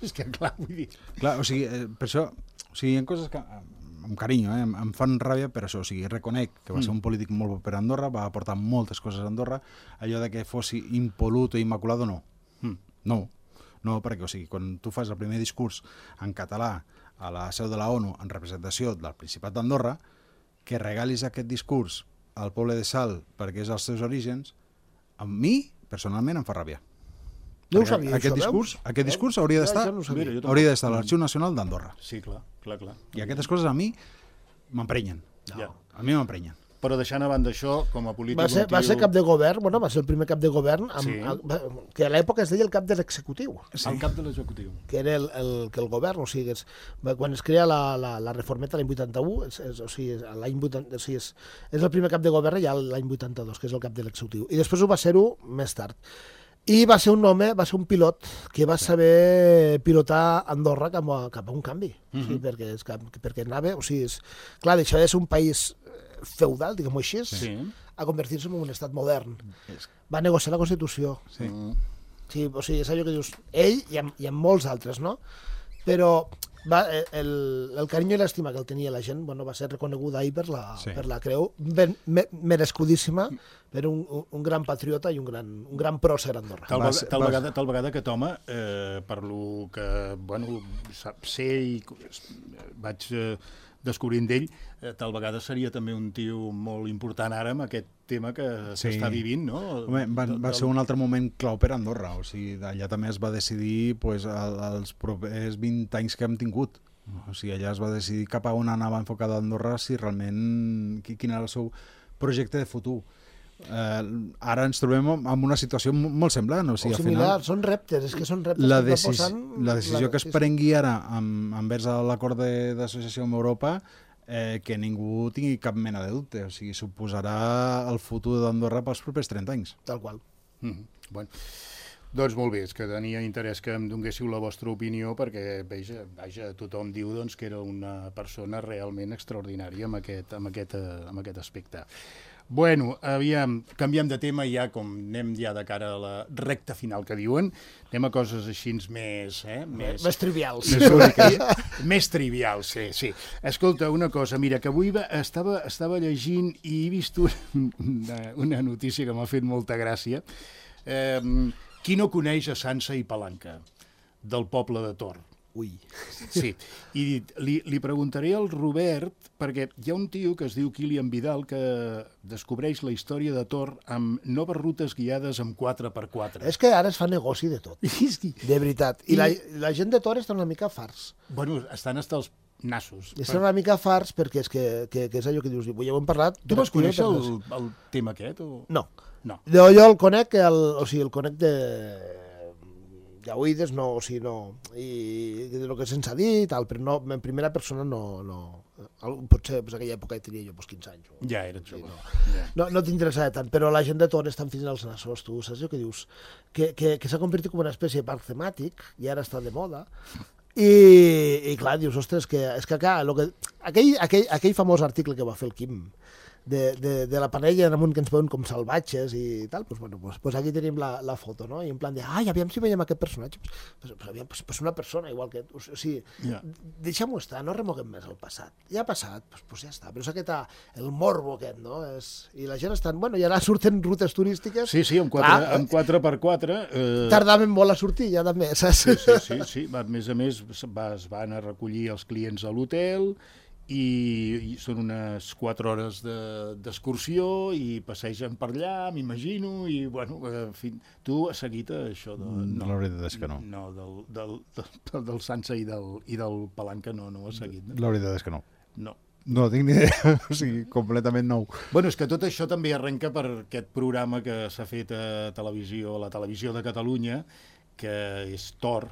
És que clar, vull dir... Clar, o sigui, per això, hi ha coses que... amb carinyo, em fan ràbia per això, o sigui, reconec que va ser un polític molt bo per a Andorra, va aportar moltes coses a Andorra, allò de que fos impol·lut o immaculado, no. No, perquè, o sigui, quan tu fas el primer discurs en català a la seu de la ONU en representació del Principat d'Andorra, que regalis aquest discurs al poble de Salt perquè és els seus orígens, a mi, personalment, em fa ràbia. No ho sabia, Aquest això, veus? discurs hauria d'estar Jo no ho sabia. Mira, jo també. hauria d'estar a l'Arxiu Nacional d'Andorra. Sí, clar. I aquestes coses a mi m'emprenyen. Ja. A mi m'emprenyen. Però deixant a banda això, com a polític... Va ser cap de govern, bueno, va ser el primer cap de govern, que a l'època es deia el cap de l'executiu. Sí. El cap de l'executiu. Que era el govern, o sigui, quan es crea la reformeta l'any 81, és el primer cap de govern ja l'any 82, que és el cap de l'executiu. I després ho va ser-ho més tard. I va ser un home, va ser un pilot que va saber pilotar Andorra cap a un canvi, o sigui, perquè anava, o sigui, clar, deixava de ser un país feudal, diguem-ho així, a convertir-se en un estat modern. Va negociar la Constitució. Sí, o sigui, és allò que dius, ell i amb molts altres, no? Però el carinyo i l'estima que el tenia la gent va ser reconeguda ahir per la creu merescudíssima per un gran patriota i un gran pròcer a Andorra. Tal vegada aquest home, per lo que sé i vaig descobrint d'ell, tal vegada seria també un tio molt important ara amb aquest tema que s'està vivint, no? Home, va ser un altre moment clau per Andorra, o sigui, allà també es va decidir els propers 20 anys que hem tingut. O sigui, allà es va decidir cap a on anava enfocada Andorra, si realment quin era el seu projecte de futur. Ara ens trobem en una situació molt semblant. O sigui, similar, són reptes, és que són reptes. La decisió que es prengui ara envers l'acord d'associació amb Europa, que ningú tingui cap mena de dubte, o sigui, suposarà el futur d'Andorra pels propers 30 anys. Tal qual. Bueno, doncs molt bé, és que tenia interès que em donguéssiu la vostra opinió perquè, vaja, tothom diu que era una persona realment extraordinària amb aquest aspecte. Bueno, aviam, canviem de tema i ja, com anem ja de cara a la recta final que diuen, anem a coses així més trivials. Més trivials, sí. Escolta, una cosa, mira, que avui estava llegint i he vist una notícia que m'ha fet molta gràcia. Qui no coneix a Sansa i Palanca, del poble de Tor? Ui. Sí, i li preguntaré al Robert, perquè hi ha un tio que es diu Kilian Vidal que descobreix la història de Tor amb noves rutes guiades amb 4x4. És que ara es fa negoci de tot, de veritat. I la gent de Tor està una mica farts. Bueno, estan hasta els nassos. Estan una mica farts perquè és que és allò que dius, ja ho hem parlat. Tu vas conèixer el tema aquest? No. Jo el conec, el conec d'oïdes, no, o sigui, no, i del que se'ns ha dit, però no, en primera persona no. Potser en aquella època tenia jo 15 anys. Ja era jove. No t'interessava tant, però la gent de Tor estan fins als nassos, tu saps el que dius? Que s'ha convertit com una espècie de parc temàtic, i ara està de moda, i clar, dius, ostres, és que clar, aquell famós article que va fer el Quim, de la panella en amunt que ens veuen com salvatges i tal, doncs aquí tenim la foto, no? I en plan de, aviam si veiem aquest personatge. Pues una persona igual que... O sigui, deixem-ho estar, no remoguem més el passat. Ja ha passat, doncs ja està. Però és aquest, el morbo aquest, no? I la gent estan... Bueno, i ara surten rutes turístiques... Sí, amb 4x4... Tardaven molt a sortir, ja també, saps? Sí. A més, es van a recollir els clients a l'hotel... i són unes 4 hores d'excursió i passegen per allà, m'imagino, i bueno, tu has seguit això la veritat és que no. No, del Sansa i del Palanca no ho has seguit. La veritat és que no. No tinc ni idea, o sigui, completament nou. Bueno, és que tot això també arrenca per aquest programa que s'ha fet a la televisió de Catalunya, que és Tor,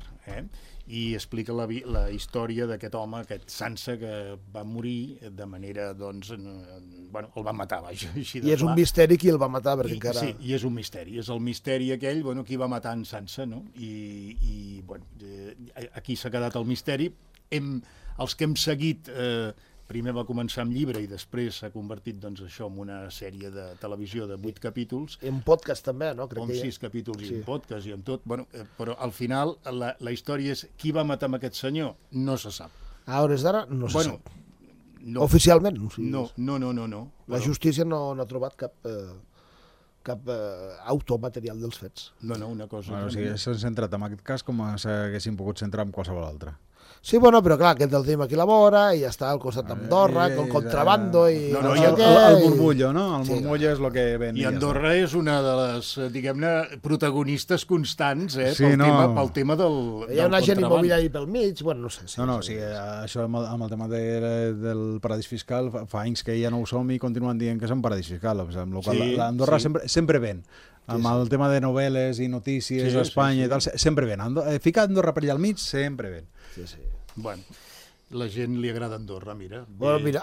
i explica la història d'aquest home, aquest Sansa, que va morir de manera, bueno, el va matar, vaja, així de clar. I és un misteri qui el va matar, perquè encara... Sí, i és un misteri, és el misteri aquell, bueno, qui va matar en Sansa, no? I bueno, aquí s'ha quedat el misteri. Els que hem seguit... Primer va començar amb llibre i després s'ha convertit, això, en una sèrie de televisió de 8 capítols. En podcast també, no? Amb 6 capítols i en podcast i en tot. Bueno, però al final la història és qui va matar amb aquest senyor? No se sap. A hores d'ara no se sap. Oficialment? No. La justícia no ha trobat cap automaterial dels fets. No, una cosa... O sigui, s'han centrat en aquest cas com s'haguessin pogut centrar en qualsevol altre. Sí, bueno, però clar, aquest el tenim aquí a la vora i ja està al costat d'Andorra, con contrabando i... No, el murmullo, no? El murmullo és el que ven. I Andorra és una de les, diguem-ne, protagonistes constants, pel tema del Hi ha un agent immobiliari pel mig, bueno, no sé. Això amb el tema del paradís fiscal, fa anys que ja no ho som i continuen dient que és un paradís fiscal, amb la qual Andorra sempre ven. Amb el tema de novel·les i notícies a Espanya i tal, sempre ven. Ficar Andorra per allà al mig, sempre ven. Sí. Bueno, la gent li agrada Andorra, mira. Bueno, mira.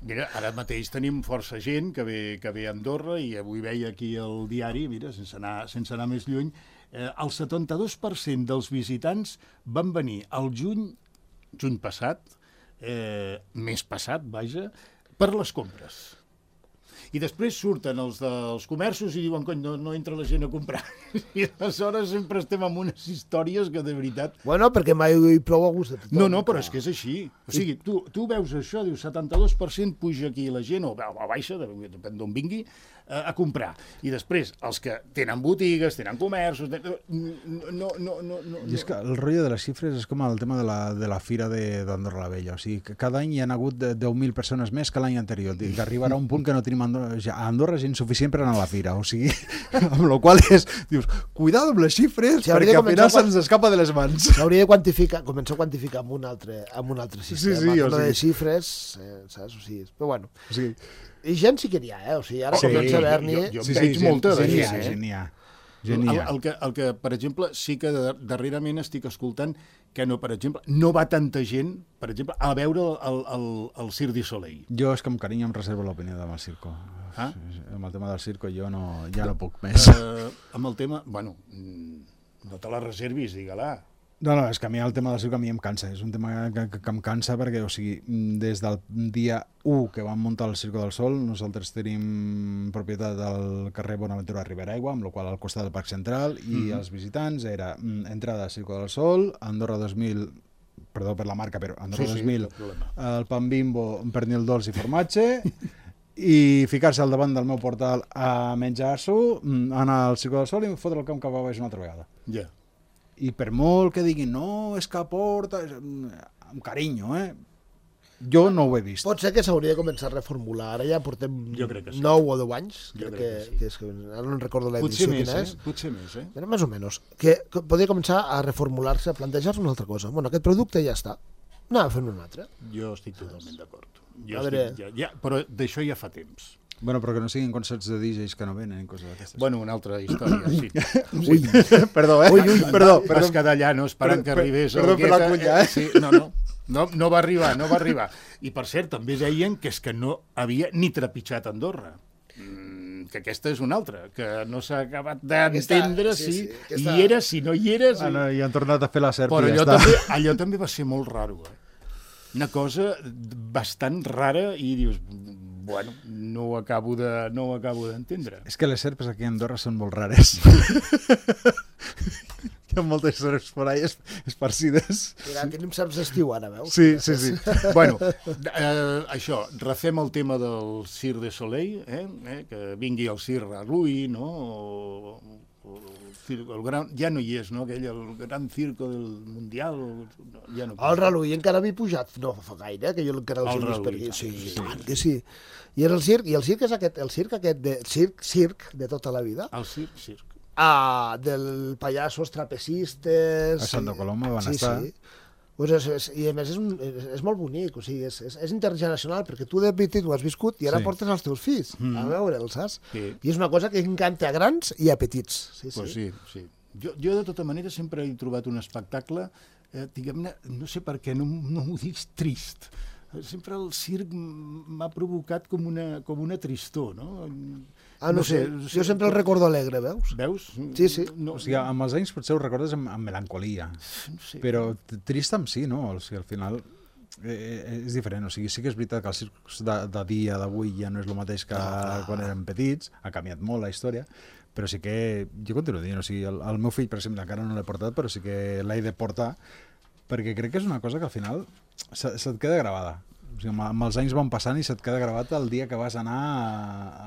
Mira, ara mateix tenim força gent que ve a Andorra i avui veia aquí el diari, mira, sense anar més lluny, el 72% dels visitants van venir al juny passat, mes passat, vaja, per les compres. I després surten els dels comerços i diuen, cony, no entra la gent a comprar. I aleshores sempre estem amb unes històries que de veritat... Bueno, perquè mai hi prou a gust de tothom. No, però és que és així. O sigui, tu veus això, dius 72% puja aquí la gent, o baixa, depèn d'on vingui, a comprar. I després, els que tenen botigues, tenen comerços... No. I és que el rotllo de les xifres és com el tema de la fira d'Andorra la Vella. O sigui, que cada any hi ha hagut 10.000 persones més que l'any anterior. I que arribarà un punt que no tenim a Andorra gent suficient per anar a la fira. O sigui, amb la qual dius, cuidado amb les xifres, perquè al final se'ns escapa de les mans. S'hauria de començar a quantificar amb un altre sistema. Sí, de xifres, saps? O sigui, però bueno... Sí. I gent sí que n'hi ha, O sigui, ara comença a haver-n'hi... Jo veig molta de gent, Gent n'hi ha. El que, per exemple, sí que darrerament estic escoltant que no, per exemple, no va tanta gent, per exemple, a veure el Cirque du Soleil. Jo és que amb carinyo em reservo l'opinió amb el circo. Amb el tema del circo jo ja no puc més. Amb el tema, bueno, no te la reservis, digue-la. No, és que a mi el tema del circo a mi em cansa. És un tema que em cansa perquè, o sigui, des del dia 1 que vam muntar el Circo del Sol, nosaltres tenim propietat del carrer Bonaventura Riberaigua, amb la qual al costat del Parc Central, i els visitants era entrada al Circo del Sol, Andorra 2000, perdó per la marca, però Andorra 2000, el pan Bimbo, un pernil dolç i formatge, i ficar-se al davant del meu portal a menjar-s'ho, anar al Circo del Sol i fotre el camp cap a baix una altra vegada. Ja. I per molt que diguin, no, és que aporta... Amb carinyo, Jo no ho he vist. Pot ser que s'hauria de començar a reformular. Ara ja portem 9 o 10 anys. Crec que ara no recordo l'edició quina és. Potser més, Però més o menys. Que podria començar a reformular-se, a plantejar-se una altra cosa. Bueno, aquest producte ja està. Anem a fer un altre. Jo estic totalment d'acord. Però d'això ja fa temps. Bueno, però que no siguin concerts de DJs que no venen i coses d'aquestes. Bueno, una altra història, sí. Ui, perdó, Perdó. Vas quedar allà, no? Esperant que arribés el Guetta. Perdó per la cunya, Sí, no va arribar. I per cert, també deien que és que no havia ni trepitjat Andorra. Que aquesta és una altra, que no s'ha acabat d'entendre si hi era, si no hi era. I han tornat a fer la serp. Però allò també va ser molt raro, Una cosa bastant rara i dius... Bueno, no ho acabo d'entendre. És que les serpes aquí a Andorra són molt rares. Hi ha moltes serps por ahí esparcides. Mira, tenim serps d'estiu ara, veus? Sí. Bueno, això, refem el tema del Cirque du Soleil, que vingui el Cirque Rallui, no? Ja no hi és, no? El gran circo del Mundial. Ja no el Rallui encara havia pujat, no fa gaire, que jo encara els he vist per aquí. Sí, que sí. I el circ és el circ aquest de tota la vida. El circ. Del pallassos trapecistes... A Santa Coloma van estar. Sí. I a més és molt bonic, o sigui, és intergeneracional, perquè tu de petit ho has viscut i ara portes els teus fills a veure'l, saps? Sí. I és una cosa que encanta a grans i a petits. Sí. Jo de tota manera sempre he trobat un espectacle, diguem-ne, no sé per què, no m'ho dic trist. Sempre el circ m'ha provocat com una tristor, no? No sé, jo sempre el recordo alegre, veus? Veus? Sí. O sigui, amb els anys potser ho recordes amb melancolia, però trist amb sí, no? O sigui, al final és diferent, o sigui, sí que és veritat que el circ de dia d'avui ja no és el mateix que quan érem petits, ha canviat molt la història, però sí que, jo continuo dient, o sigui, el meu fill, per exemple, encara no l'he portat, però sí que l'he de portar, perquè crec que és una cosa que al final se't queda gravada. O sigui, amb els anys van passant i se't queda gravat el dia que vas anar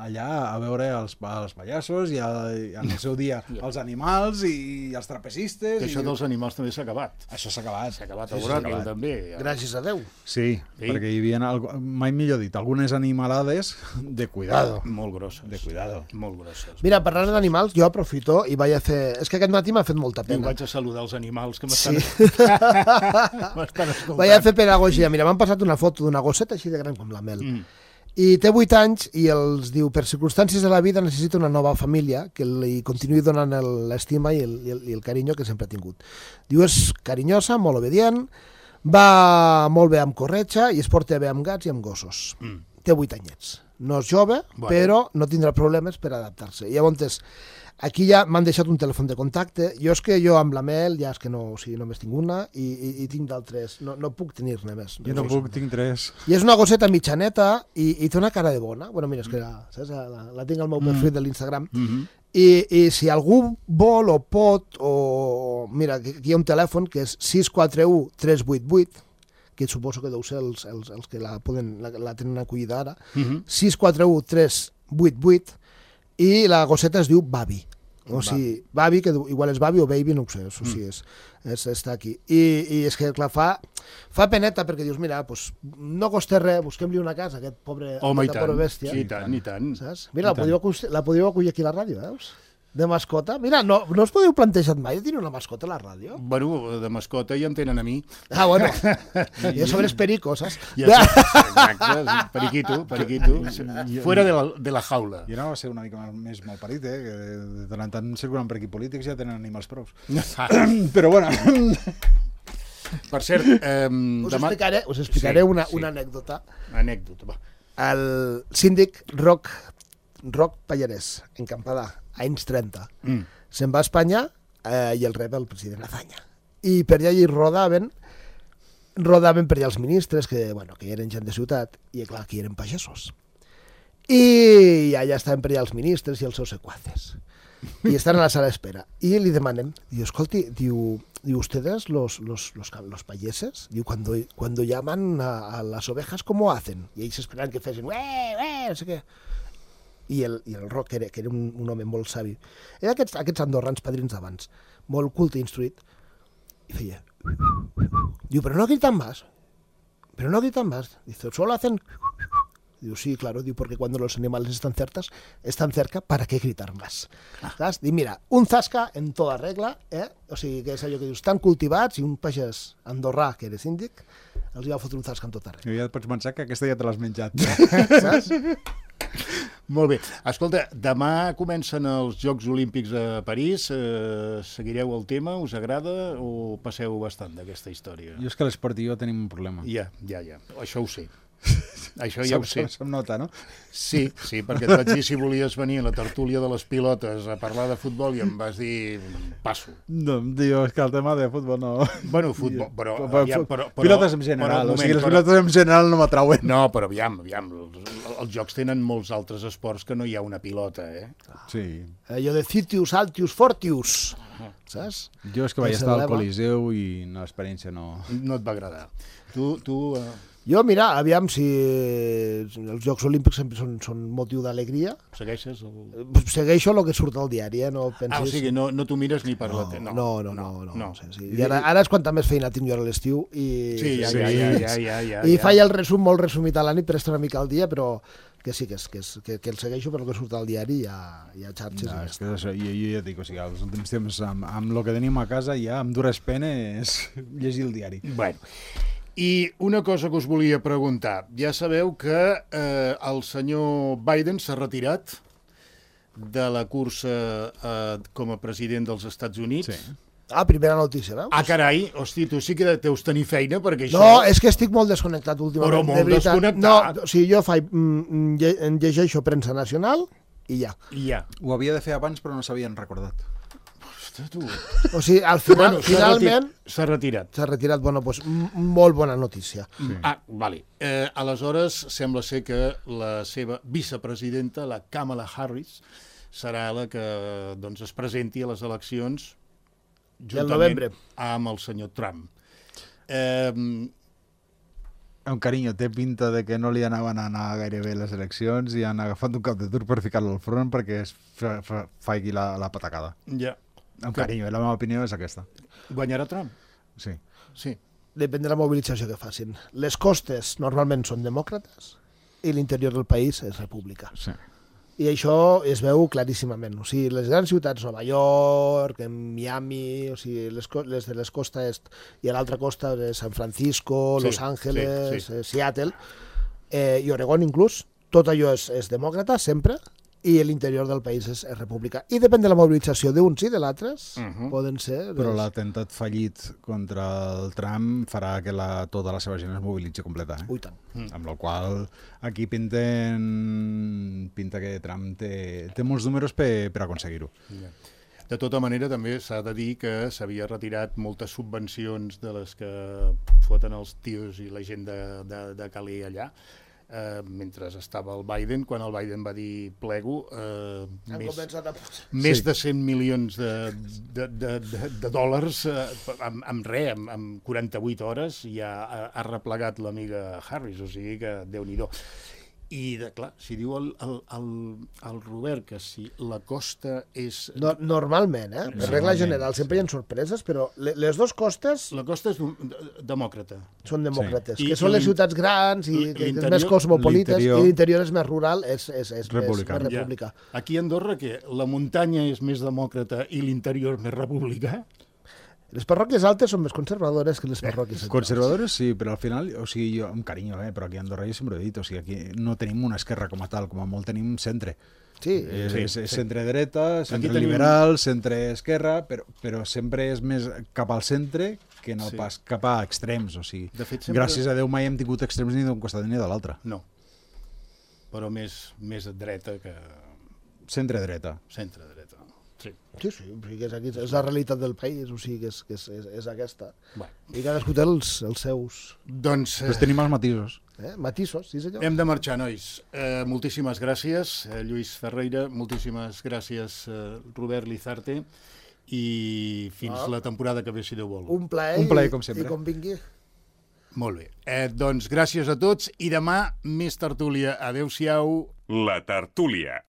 allà a veure els pallassos i en el seu dia els animals i els trapecistes. Que això dels animals també s'ha acabat. Això s'ha acabat. S'ha acabat a Boràquil, també. Gràcies a Déu. Sí, perquè hi havia, mai millor dit, algunes animalades de cuidado. Molt grosses. De cuidado. Molt grosses. Mira, parlant d'animals, jo aprofito i vaig a fer... És que aquest matí m'ha fet molta I pena. vaig a saludar els animals que m'estan escoltant. Vaig a fer pedagogia. Mira, m'han passat una foto d'una gosseta així de gran com la Mel. I té 8 anys i els diu, per circumstàncies de la vida necessita una nova família que li continuï donant l'estima i el carinyo que sempre ha tingut. Diu, és carinyosa, molt obedient, va molt bé amb corretja i es porta bé amb gats i amb gossos. Té 8 anyets. No és jove, però no tindrà problemes per adaptar-se. Llavors, aquí ja m'han deixat un telèfon de contacte. Jo amb la Mel, ja és que no, o sigui, només tinc una i tinc d'altres. No puc tenir-ne més. Jo no puc, tinc 3. I és una gosseta mitjaneta i té una cara de bona. Bueno, mira, és que la tinc al meu perfil de l'Instagram. I si algú vol o pot, o mira, aquí hi ha un telèfon que és 641-388, que suposo que deu ser els que la tenen acollida ara, 641-388, i la gosseta es diu Babi. O sigui, Babi, que igual és Babi o Baby, no ho sé, això sí està aquí. I és que, clar, fa peneta, perquè dius, mira, pues, no costa res, busquem-li una casa a aquest pobre bèstia. I tant. Saps? Mira, la podríeu acollir aquí a la ràdio, veus? De mascota. Mira, no us podeu plantejar mai de tenir una mascota a la ràdio? Bueno, de mascota ja em tenen a mi. Ah, bueno. I a sobre és perico, saps? Exacte, periquito. Fuera de la jaula. Jo anava a ser una mica més malparit, que de tant en tant circulant per aquí polítics ja tenen animals prous. Però bueno... Per cert... Us explicaré una anècdota. Anècdota, va. El síndic Roc Pallarès, en Campadà, anys 30, se'n va a Espanya i el rep el president Azaña. I per allà hi rodaven per allà els ministres, que eren gent de ciutat, i clar, aquí eren pagesos. I allà estaven per allà els ministres i els seus secuaces. Y están en la sala de espera. Y le demanen, digo, escolti, diu, ¿ustedes los payeses? Diu, cuando llaman a las ovejas, ¿cómo hacen? Y ells esperaven que fessin, no sé què. I el Roc, que era un home molt savi, era aquests andorrans padrins d'abans, molt culte i instruït, i feia, diu, pero no gritan más, dice, solo hacen... Diu, sí, claro, diu, porque cuando los animales están cerca, ¿para qué gritar más? ¿Sabes? Diu, mira, un zasca en toda regla, o sigui, que és allò que dius, tan cultivats, i un pagès andorrà, que era síndic, els va fotre un zasca en tot arreu. Ja et pots pensar que aquesta ja te l'has menjat. Saps? Molt bé. Escolta, demà comencen els Jocs Olímpics a París. Seguireu el tema? Us agrada o passeu bastant d'aquesta història? Jo és que l'esport i jo tenim un problema. Ja. Això ho sé. Això ja ho sé. Se'm nota, no? Sí, perquè et vaig dir si volies venir a la tertúlia de les pilotes a parlar de futbol i em vas dir passo. No, diu, és que el tema de futbol no... Bueno, futbol, però... Pilotes en general, o sigui, les pilotes en general no m'atrauen. No, però aviam, els jocs tenen molts altres esports que no hi ha una pilota, Sí. Allò de Citius, Altius, Fortius, saps? Jo és que vaig estar al Coliseu i l'experiència no... No et va agradar. Tu Jo, mira, aviam si els Jocs Olímpics sempre són motiu d'alegria. Segueixes? Segueixo el que surt al diari, no pensis... o sigui, no t'ho mires ni per la tele. No. Sí. I ara és quanta més feina tinc jo a l'estiu i... Sí, ja. I faig el resum molt resumit a la nit per estar una mica al dia, però que sí, que el segueixo per el que surt al diari i a xarxes. No, és que això, jo ja dic, o sigui, els últims temps amb el que tenim a casa ja amb dures penes llegir el diari. Bueno, i una cosa que us volia preguntar. Ja sabeu que el senyor Biden s'ha retirat de la cursa com a president dels Estats Units. Sí. Primera notícia, veus? Carai, hosti, tu sí que deus tenir feina perquè això... No, és que estic molt desconnectat últimament. Però molt desconnectat. No, o sigui, jo llegeixo premsa nacional i ja. Ho havia de fer abans però no s'havien recordat. Tu. O sigui, al final, finalment... S'ha retirat. S'ha retirat, bueno, doncs molt bona notícia. Sí. Vale. Aleshores, sembla ser que la seva vicepresidenta, la Kamala Harris, serà la que doncs, es presenti a les eleccions juntament amb el senyor Trump. Amb carinyo, té pinta de que no li anaven a anar gaire bé les eleccions i han agafat un cap de tur per ficar-lo al front perquè es faigui la patacada. Ja. Amb carinyo, la meva opinió és aquesta. Guanyarà Trump? Sí. Sí. Depèn de la mobilització que facin. Les costes normalment són demòcrates i l'interior del país és república. Sí. I això es veu claríssimament. O sigui, les grans ciutats, Nova York, Miami, o sigui, les de les costa est i a l'altra costa de San Francisco, Los Angeles, Seattle, i Oregon inclús, tot allò és demòcrata, sempre, i l'interior del país és república. I depèn de la mobilització d'uns i de l'altres, poden ser... Però l'atemptat fallit contra el Trump farà que tota la seva gent es mobilitzi completa. Ui, tant. Amb la qual aquí pinta que Trump té molts números per aconseguir-ho. De tota manera, també s'ha de dir que s'havia retirat moltes subvencions de les que foten els tios i la gent de Calais allà, mentre estava el Biden, quan el Biden va dir plego, més de 100 milions de dòlars amb res, amb 48 hores ja ha replegat l'amiga Harris, o sigui que Déu-n'hi-do. I, clar, si diu el Robert que si la costa és... Normalment, per regla general, sempre hi ha sorpreses, però les dues costes... La costa és demòcrata. Són demòcrates, que són les ciutats grans i més cosmopolites, i l'interior és més rural, és república. Aquí a Andorra, que la muntanya és més demòcrata i l'interior més republicà? Les parròquies altes són més conservadores que les parròquies centrals. Conservadores, sí, però al final, o sigui, jo, amb carinyo, però aquí a Andorra jo sempre he dit, o sigui, aquí no tenim una esquerra com a tal, com a molt tenim centre. Sí. És centre-dreta, centre-liberal, centre-esquerra, però sempre és més cap al centre que no pas cap a extrems, o sigui, gràcies a Déu mai hem tingut extrems ni d'un costat ni de l'altre. No, però més dreta que... Centre-dreta. Centre-dreta. Sí, és la realitat del país, o sigui, és aquesta. I cadascú té els seus... Doncs tenim els matisos. Matisos, sí senyor. Hem de marxar, nois. Moltíssimes gràcies, Lluís Ferreira, moltíssimes gràcies, Robert Lizarte, i fins la temporada que ve, si Déu vol. Un plaer, com sempre. I com vingui. Molt bé. Doncs gràcies a tots, i demà més tertúlia. Adéu-siau. La tertúlia.